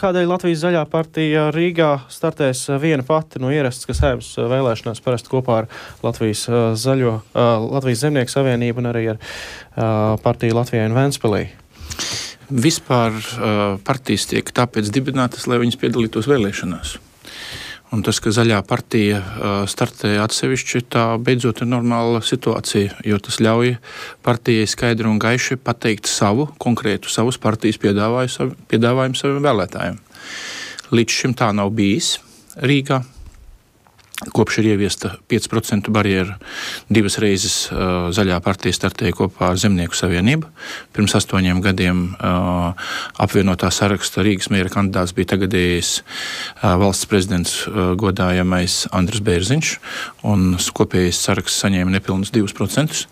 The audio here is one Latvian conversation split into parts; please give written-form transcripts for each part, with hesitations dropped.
kādēļ Latvijas zaļā partija Rīgā startēs viena pati no ierastas, kas Saeimas vēlēšanās parasti kopā ar Latvijas Zemnieku savienību un arī ar partiju Latvijai un Ventspilī? Vispār partijas tiek tāpēc dibinātas, lai viņas piedalītos vēlēšanās. Un tas, ka zaļā partija startē atsevišķi, tā beidzot ir normāla situācija, jo tas ļauj partijai skaidri un gaiši pateikt savus partijas piedāvājumu saviem vēlētājiem. Līdz šim tā nav bijis Rīgā. Kopš ir ieviesta 5% barjera, 2 reizes zaļā partija startēja kopā ar Zemnieku savienību. Pirms 8 gadiem apvienotā saraksta Rīgas mēra kandidāts bija tagadējais valsts prezidents godājamais Andris Bērziņš, un kopējais saraksts saņēma nepilnus 2%.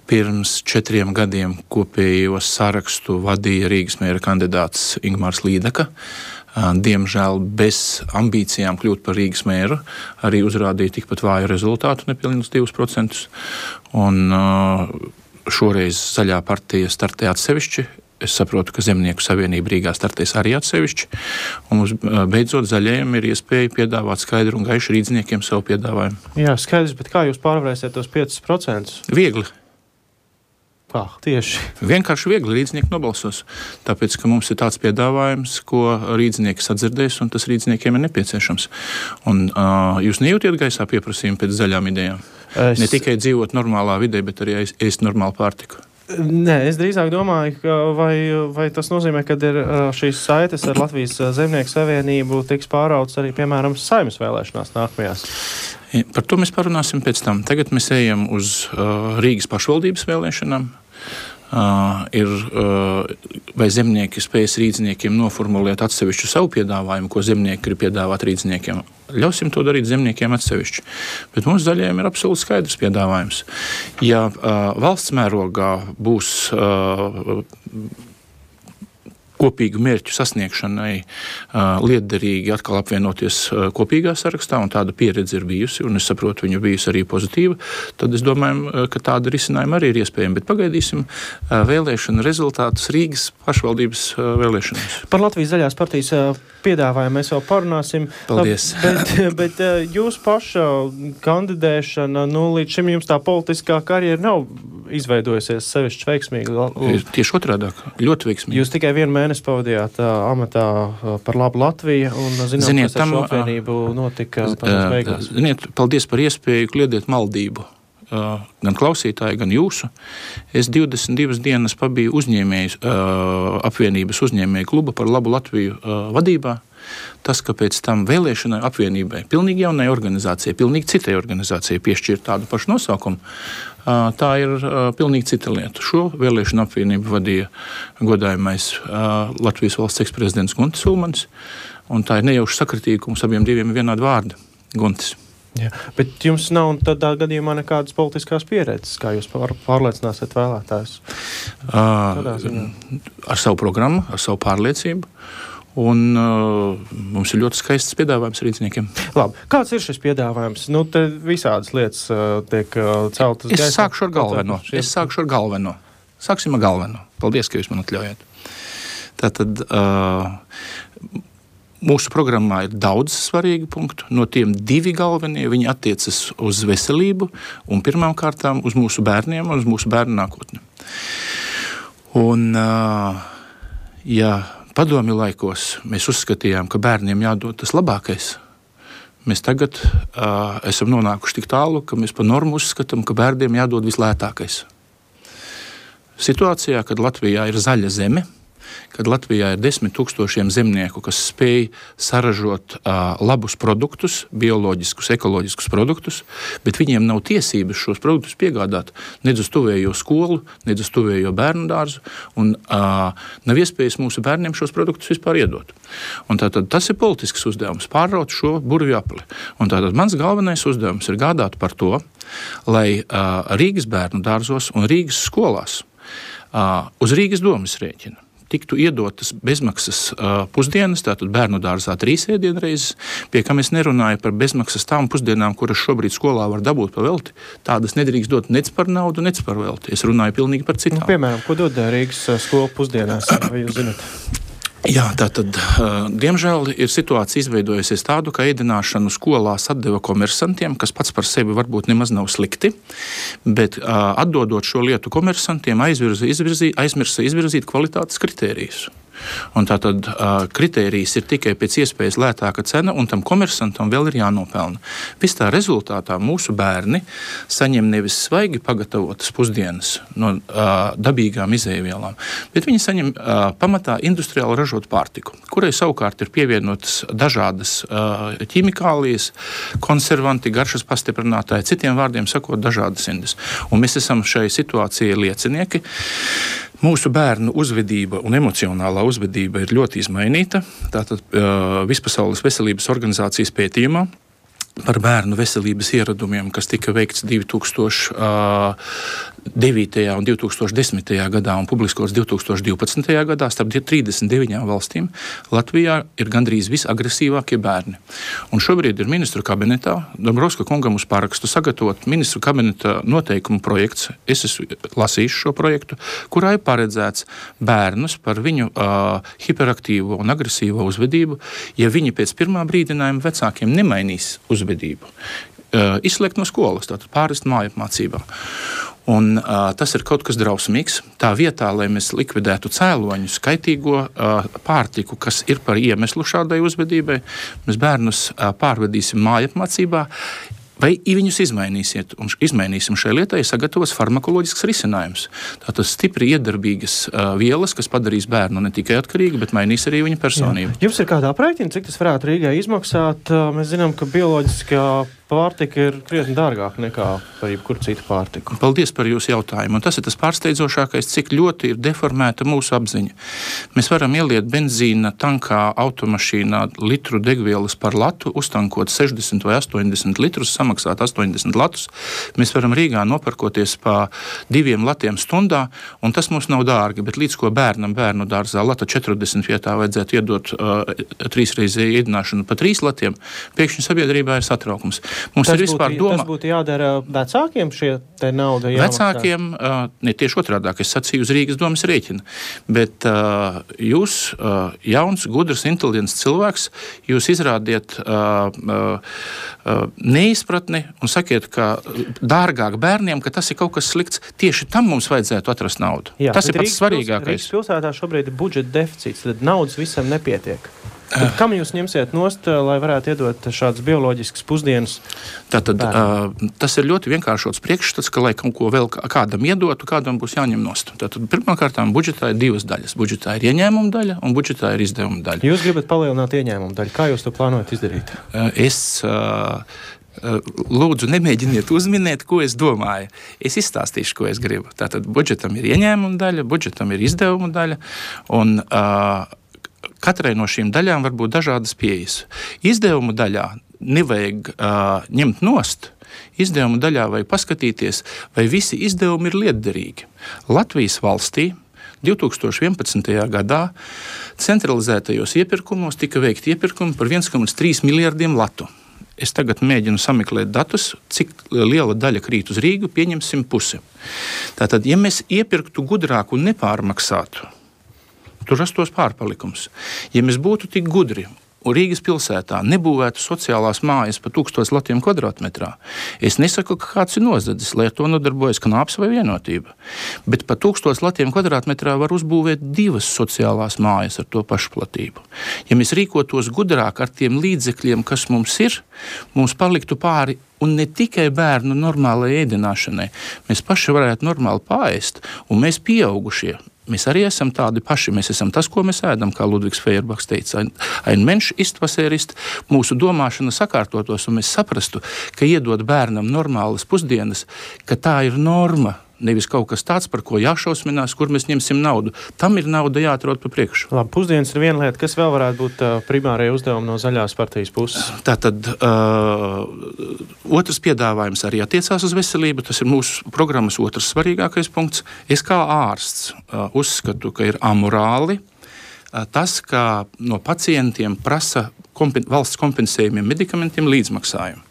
Pirms 4 gadiem kopējo sarakstu vadīja Rīgas mēra kandidāts Ingmārs Līdaka. Diemžēl bez ambīcijām kļūt par Rīgas mēru arī uzrādīja tikpat vāju rezultātu, nepilnus 2%. Un šoreiz zaļā partija startē atsevišķi. Es saprotu, ka Zemnieku savienība Rīgā startēs arī atsevišķi. Un mums beidzot zaļajiem ir iespēja piedāvāt skaidru un gaišu rīdzniekiem savu piedāvājumu. Jā, skaidrs, bet kā jūs pārvarēsiet tos 5%? Viegli. Kā? Tieši. Vienkārši viegli rīdznieki nobalsos, tāpēc, ka mums ir tāds piedāvājums, ko rīdznieki sadzirdēs, un tas rīdzniekiem ir nepieciešams. Un jūs nejūtiet gaisā pieprasījumu pēc zaļām idejām? Ne tikai dzīvot normālā vidē, bet arī ēst normālu pārtiku. Nē, es drīzāk domāju, ka vai tas nozīmē, ka ir šīs saites ar Latvijas Zemnieku savienību tiks pārauts arī, piemēram, Saeimas vēlēšanās nākamajās? Par to mēs parunāsim pēc tam. Tagad mēs ejam uz Rīgas pašvaldības vēlēšanām. Vai zemnieki spējas rīdzniekiem noformulēt atsevišķu savu piedāvājumu, ko zemnieki grib piedāvāt rīdzniekiem. Ļausim to darīt zemniekiem atsevišķi. Bet mums zaļajiem ir absolūti skaidrs piedāvājums. Ja valsts mērogā būs kopīgu mērķu sasniegšanai lietderīgi atkal apvienoties kopīgā sarakstā, un tāda pieredze ir bijusi, un es saprotu, viņa bijusi arī pozitīva, tad es domāju, ka tāda risinājuma arī ir iespējama. Bet pagaidīsim vēlēšanu rezultātus Rīgas pašvaldības vēlēšanās. Par Latvijas zaļās partijas piedāvājumu mēs vēl parunāsim. Paldies. Bet jūs paša kandidēšana, līdz šim jums tā politiskā karjera nav izveidojusies sevišķi veiksmīgi. Tieši otrādāk, ļoti veiksmīgi. Jūs tikai 1 mēnesi pavadījāt amatā par labu Latviju, un zinām, kas ar šo apvienību notika tās beigās. Ziniet, paldies par iespēju kliedēt maldību. Gan klausītāji, gan jūsu. Es 22 dienas pabiju apvienības uzņēmēju kluba par labu Latviju vadībā. Tas, ka pēc tam vēlēšanai apvienībai, pilnīgi jaunai organizācijai, pilnīgi citai organizācijai piešķirt tādu pašu nosaukumu, tā ir pilnīgi cita lieta. Šo vēlēšanu apvienību vadīja godājamais Latvijas valsts eksprezidents Guntis Ulmanis, un tā ir nejauša sakritība, ka mums abiem diviem ir vienādi vārdi - Guntis. Jā, bet jums nav tādā gadījumā nekādas politiskās pieredzes, kā jūs pārliecināsiet vēlētājus? Ar savu programmu, ar savu pārliecību. Un mums ir ļoti skaists piedāvājums rīdzniekiem. Labi, kāds ir šis piedāvājums? Te visādas lietas tiek celtas gaisā. Es sākšu ar galveno. Sāksim ar galveno. Paldies, ka jūs man atļaujat. Tātad mūsu programmā ir daudz svarīgu punktu. No tiem 2 galvenie, viņi attiecas uz veselību un pirmām kārtām uz mūsu bērniem un uz mūsu bērnu nākotni. Un, padomju laikos mēs uzskatījām, ka bērniem jādod tas labākais. Mēs tagad esam nonākuši tik tālu, ka mēs pa normu uzskatām, ka bērniem jādod vislētākais. Situācijā, kad Latvijā ir zaļa zeme, kad Latvijā ir 10 000 zemnieku, kas spēj saražot labus produktus, bioloģiskus, ekoloģiskus produktus, bet viņiem nav tiesības šos produktus piegādāt nedz uz tuvējo skolu, nedz uz tuvējo bērnu dārzu, un nav iespējas mūsu bērniem šos produktus vispār iedot. Un tātad tas ir politisks uzdevums, pārraut šo burvju apli. Un tātad mans galvenais uzdevums ir gādāt par to, lai Rīgas bērnu dārzos un Rīgas skolās uz Rīgas domas rēķina tiktu iedotas bezmaksas pusdienas, tātad bērnu dārzā 3 ēdienreizes, pie kā es nerunāju par bezmaksas tām pusdienām, kuras šobrīd skolā var dabūt pa velti. Tādas nedrīkst dot nec par naudu, nec par velti. Es runāju pilnīgi par citām. Piemēram, ko dod Rīgas skolu pusdienās, vai jūs zināt? Jā, tātad, diemžēl, ir situācija izveidojusies tādu, ka ēdināšanu skolās atdeva komersantiem, kas pats par sevi varbūt nemaz nav slikti, bet atdodot šo lietu komersantiem, aizmirsa izvirzīt kvalitātes kritērijus. Un tātad kritērijs ir tikai pēc iespējas lētāka cena, un tam komersantam vēl ir jānopelna. Viss tā rezultātā mūsu bērni saņem nevis svaigi pagatavotas pusdienas no dabīgām izēvielām, bet viņi saņem pamatā industriāli ražotu pārtiku, kurai savukārt ir pievienotas dažādas ķimikālijas, konservanti, garšas pastiprinātāji, citiem vārdiem sakot, dažādas indes. Un mēs esam šai situācijai liecinieki. Mūsu bērnu uzvedība un emocionālā uzvedība ir ļoti izmainīta. Tātad Vispasaules veselības organizācijas pētījumā par bērnu veselības ieradumiem, kas tika veikts 2009. un 2010. gadā un publiskots 2012. gadā, starp 39 valstīm, Latvijā ir gandrīz visagresīvākie bērni. Un šobrīd ir ministru kabinetā, Dombrovska kungam uz parakstu sagatavot ministru kabineta noteikumu projekts. Es esmu lasījis šo projektu, kurā ir paredzēts bērnus par viņu hiperaktīvo un agresīvo uzvedību, ja viņi pēc pirmā brīdinājuma vecākiem nemainīs uzvedību. Izslēgt no skolas, tātad pārvest mājapmācībā. Un tas ir kaut kas drausmīgs. Tā vietā, lai mēs likvidētu cēloņu, skaitīgo pārtiku, kas ir par iemeslu šādai uzvedībai, mēs bērnus pārvedīsim mājapmācībā, vai viņus izmainīsim šai lietai, sagatavos farmakoloģisks risinājums. Tātad stipri iedarbīgas vielas, kas padarīs bērnu ne tikai atkarīgu, bet mainīs arī viņa personību. Jā. Jums ir kādā aprēķina, cik tas varētu Rīgai izmaksāt? Mēs zinām, ka bioloģiskā pārtika ir krietni dārgāka nekā par jebkuru citu pārtiku. Paldies par jūsu jautājumu. Un tas ir tas pārsteidzošākais, cik ļoti ir deformēta mūsu apziņa. Mēs varam ieliet benzīna tankā, automašīnā litru degvielas par latu, uztankot 60 vai 80 litrus, samaksāt 80 latus. Mēs varam Rīgā nopirkoties pa 2 latiem stundā, un tas mums nav dārgi, bet līdz ko bērnu dārzā lata 40 vietā vajadzētu iedot 3-reizēju ēdināšanu pa 3 latiem, pēkšņi sabiedrībā ir satraukums. Tas būtu jādara vecākiem, šie te nauda jāmaksā? Vecākiem, ne tieši otrādāk, es sacīju uz Rīgas domas rēķina, bet jūs, jauns, gudrs, inteliģents cilvēks, jūs izrādiet neizpratni un sakiet, ka dārgāk bērniem, ka tas ir kaut kas slikts, tieši tam mums vajadzētu atrast naudu. Jā, tas ir pats svarīgākais. Rīgas pilsētā šobrīd ir budžeta deficīts, tad naudas visam nepietiek. Tad kam jūs ņemsiet nost, lai varētu iedot šādas bioloģiskas pusdienas? Tātad, tas ir ļoti vienkāršots priekšstats, ka, lai kaut ko vēl kādam iedotu, kādam būs jāņem nost. Tātad, pirmkārtām, budžetā ir 2 daļas. Budžetā ir ieņēmuma daļa un budžetā ir izdevuma daļa. Jūs gribat palielināt ieņēmuma daļu. Kā jūs to plānojat izdarīt? Lūdzu, nemēģiniet uzminēt, ko es domāju. Es izstāstīšu, ko es gribu. Tātad, budžetam ir ieņēmuma daļa, budžetam ir izdevuma daļa, un katrai no šīm daļām var būt dažādas pieejas. Izdevuma daļā nevajag ņemt nost. Izdevuma daļā vajag paskatīties, vai visi izdevumi ir lietderīgi. Latvijas valstī 2011. gadā centralizētajos iepirkumos tika veikti iepirkumi par 1,3 miljardiem latu. Es tagad mēģinu sameklēt datus, cik liela daļa krīt uz Rīgu, pieņemsim pusi. Tātad, ja mēs iepirktu gudrāk un nepārmaksātu, tur rastos pārpalikums. Ja mēs būtu tik gudri un Rīgas pilsētā nebūvētu sociālās mājas pa 1000 latiem kvadrātmetrā, es nesaku, ka kāds ir nozadzis, lai ar to nodarbojas Knāps vai Vienotība. Bet pa 1000 latiem kvadrātmetrā var uzbūvēt 2 sociālās mājas ar to pašu platību. Ja mēs rīkotos gudrāk ar tiem līdzekļiem, kas mums ir, mums paliktu pāri un ne tikai bērnu normālai ēdināšanai. Mēs paši varētu normāli paēst, un mēs pieaugušie. Mēs arī esam tādi paši. Mēs esam tas, ko mēs ēdam, kā Ludvigs Feuerbachs teica. Ein Mensch ist, was ist. Mūsu domāšana sakārtotos, un mēs saprastu, ka iedot bērnam normālas pusdienas, ka tā ir norma. Nevis kaut kas tāds, par ko jāšausminās, kur mēs ņemsim naudu. Tam ir nauda jāatrod pa priekšu. Labi, pusdienas ir viena lieta. Kas vēl varētu būt primārie uzdevumi no Zaļās partijas puses? Tātad otrs piedāvājums arī attiecās uz veselību. Tas ir mūsu programmas otrs svarīgākais punkts. Es kā ārsts uzskatu, ka ir amorāli tas, ka no pacientiem prasa valsts kompensējumiem medikamentiem līdzmaksājumu.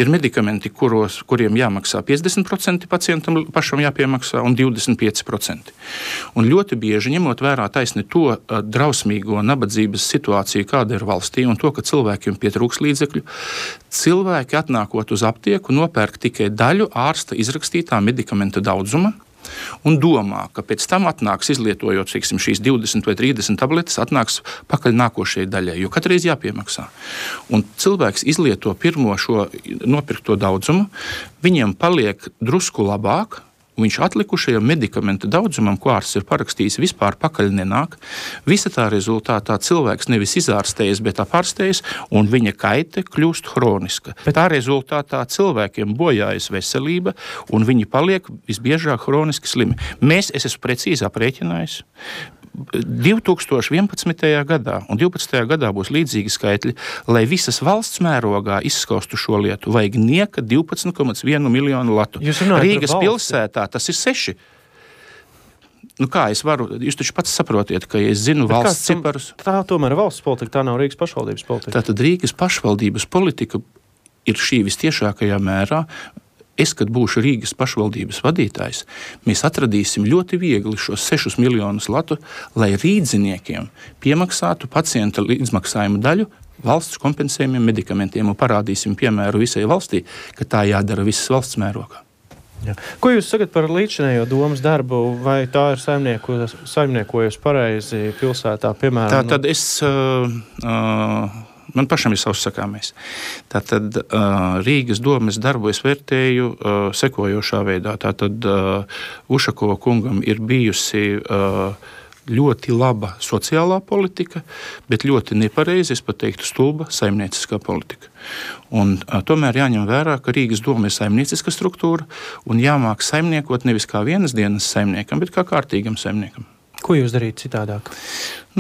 Ir medikamenti, kuriem jāmaksā 50% pacientam pašam jāpiemaksā un 25%. Un ļoti bieži, ņemot vērā taisni to drausmīgo nabadzības situāciju, kāda ir valstī, un to, ka cilvēkiem pietrūks līdzekļu, cilvēki atnākot uz aptieku nopērk tikai daļu ārsta izrakstītā medikamenta daudzuma, un domā, ka pēc tam atnāks, izlietojot šīs 20 vai 30 tabletes, atnāks pakaļ nākošajai daļai, jo katreiz jāpiemaksā. Un cilvēks izlieto pirmo šo nopirkto daudzumu, viņiem paliek drusku labāk, viņš atlikušajam medikamenta daudzumam, ko ārsts ir parakstījis, vispār pakaļ nenāk. Visa tā rezultātā cilvēks nevis izārstējas, bet apārstējas, un viņa kaite kļūst hroniska. Tā rezultātā cilvēkiem bojājas veselība, un viņi paliek visbiežāk hroniski slimi. Es esmu precīzi aprēķinājis. 2011. gadā un 2012. gadā būs līdzīgi skaitļi, lai visas valsts mērogā izskaustu šo lietu, vajag nieka 12,1 miljonu latu. Rīgas pilsētā tas ir 6. Kā es varu? Jūs taču pats saprotiet, ka ja es zinu valsts ciparus. Tā tomēr ir valsts politika, tā nav Rīgas pašvaldības politika. Tātad Rīgas pašvaldības politika ir šī vistiešākajā mērā. Es, kad būšu Rīgas pašvaldības vadītājs, mēs atradīsim ļoti viegli šos 6 miljonus latu, lai rīdziniekiem piemaksātu pacienta līdzmaksājumu daļu valsts kompensējumiem medikamentiem un parādīsim piemēru visai valstī, ka tā jādara visas valsts mērogā. Jā. Ko jūs sakat par līdzinējo domas darbu? Vai tā ir saimniekojusi pareizi pilsētā, piemēram? Tātad man pašam ir savs sakāmais. Tātad Rīgas domes darbu es vērtēju sekojošā veidā. Tātad Ušakova kungam ir bijusi ļoti laba sociālā politika, bet ļoti nepareizi, es pat teiktu, stulba saimnieciskā politika. Un tomēr jāņem vērā, ka Rīgas doma ir saimnieciska struktūra un jāmāk saimniekot nevis kā vienas dienas saimniekam, bet kā kārtīgam saimniekam. Ko jūs darītu citādāk?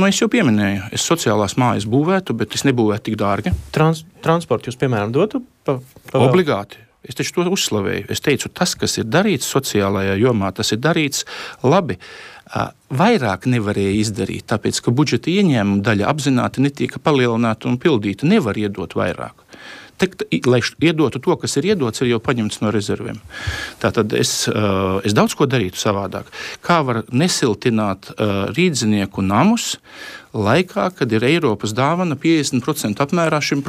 Es jau pieminēju, es sociālās mājas būvētu, bet es nebūvētu tik dārgi. Transportu jūs, piemēram, dotu? Obligāti. Es taču to uzslavēju. Es teicu, tas, kas ir darīts sociālajā jomā, tas ir darīts labi. Vairāk nevarēja izdarīt, tāpēc, ka budžeta ieņēmuma daļa apzināti netika palielināta un pildīta. Nevar iedot vairāk. Lai iedotu to, kas ir iedots, ir jau paņemts no rezerviem. Tātad es daudz ko darītu savādāk. Kā var nesiltināt rīdzinieku namus laikā, kad ir Eiropas dāvana 50% apmērā šim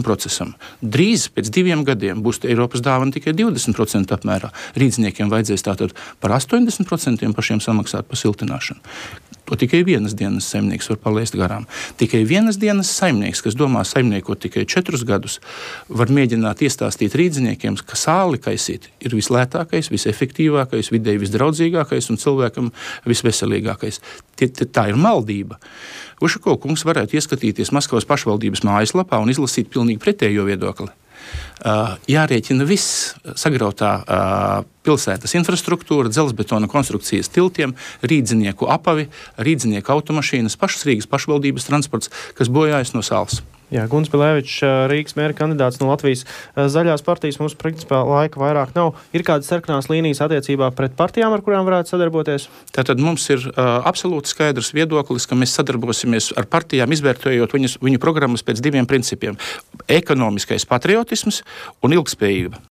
procesam. Drīz pēc 2 gadiem būs Eiropas dāvana tikai 20% apmērā. Rīdziniekiem vajadzēs tātad par 80% pašiem samaksāt par siltināšanu. To tikai vienas dienas saimnieks var palaist garām. Tikai vienas dienas saimnieks, kas domā saimniekot tikai 4 gadus, var mēģināt iestāstīt rīdziniekiem, ka sāli kaisīt ir vislētākais, visefektīvākais, videi visdraudzīgākais un cilvēkam visveselīgākais. Tā ir maldība. Ušakova kungs varētu ieskatīties Maskavas pašvaldības mājaslapā un izlasīt pilnīgi pretējo viedokli. Jārēķina viss sagrautā pilsētas infrastruktūra, dzelzbetona konstrukcijas tiltiem, rīdzinieku apavi, rīdzinieku automašīnas, pašas Rīgas pašvaldības transports, kas bojājas no sāls. Jā, Gunts Bilevičs, Rīgas mēra kandidāts no Latvijas zaļās partijas. Mums principā laika vairāk nav. Ir kādas sarkanās līnijas attiecībā pret partijām, ar kurām varētu sadarboties? Tātad mums ir absolūti skaidrs viedoklis, ka mēs sadarbosimies ar partijām, izvērtējot viņu programmas pēc 2 principiem - ekonomiskais patriotisms un ilgspējība.